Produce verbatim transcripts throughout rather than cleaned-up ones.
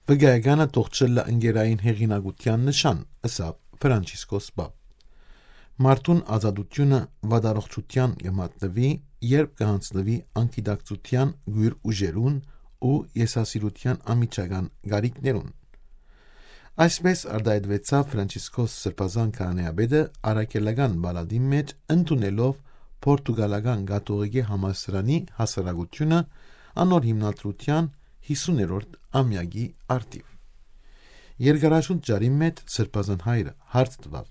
Վկայականը թող չըլլայ ընկերային հեղինակութեան նշան, ըսաւ Ֆրանցիսկոս Պապ։ Մարդուն ազատութիւնը վատառողջութեան կը մատնուի, երբ կը յանձնուի անգիտակցութեան կոյր ուժերուն ու եսասիրութեան անմիջական կարիքներուն։ Այսպէս արտայայտուեցաւ Ֆրանցիսկոս Սրբազան քահանայապետը առաքելական պալատին մէջ, ընդունելով Պորտուգալական կաթողիկէ համալսարանի հասարակութիւնը անոր հիմնադրութեան յիսուներորդ ամեակի առթիւ։ Երկարաշունչ ճառին մէջ Սրբազան հայրը հարց տուաւ,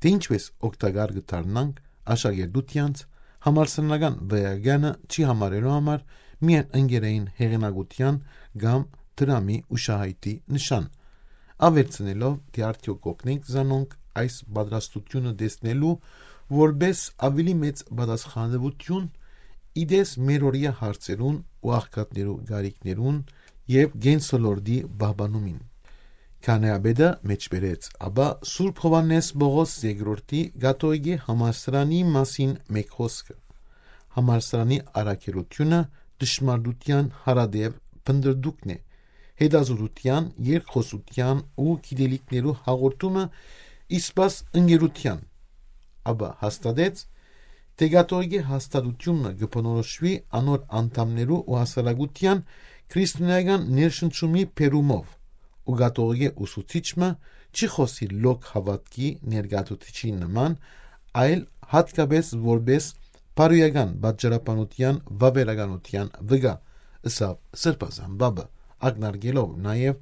թէ ինչպէս օգտակար կը դառնանք աշակերտութեանց, համալսարանական վկայականը չի համարելու համար միայն ընկերային հեղինակութեան կամ դրամի ուշահայտի նշան, աւելցնելով, թէ արդեօք կ'օգնենք զանոնք այս պատրաստութիւնը տեսնելու որպէս աւելի մեծ պատասխանատուութիւն, ի տես մերօրեայ հարցերուն ու աղքատներու կարիքներուն եւ կենսոլորտի պահպանումին։ Քահանայապետը մէջբերեց ապա Սուրբ Յովհաննէս Պողոս երկրորդի կաթողիկէ համալսարանի մասին մէկ խօսքը. «Համալսարանի առաքելութիւնը դժմարտութեան յարատեւ փնտռտուքն է, հետազօտութեան, երկխօսութեան ու գիտելիքներու հաղորդումը, իսկ ընկերութեան»։ Ապա հաստատեց, թէ կաթողիկէ հաստատութիւնը կը բնորոշուի անոր անդամներու ու հասարակութեան քրիստոնէական ներշնչումի բերումով, ու կաթողիկէ ուսուցիչ մը չի խօսիր լոկ հաւատքի ներկայացուցիչի նման, այլ յատկապէս որպէս բարոյական պատճառաբանութեան վաւերականութեան վկայ, ըսաւ Սրբազան Պապը, ակնարկելով նաեւ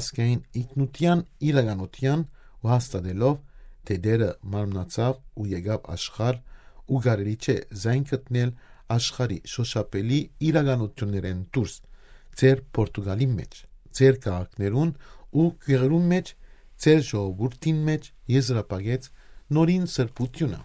ազգային ինքնութեան իրականութեան ու հաստատելով, թէ Տէրը մարմնացաւ ու եկաւ աշխարհ, ու կարելի չէ զայն գտնել աշխարհի շոշափելի իրականութիւններէն դուրս, ձեր Պորտուգալին մէջ, ձեր քաղաքներուն ու գիւղերուն մէջ, ձեր ժողովուրդին մէջ եզրափակեց նորին սրբութիւնը։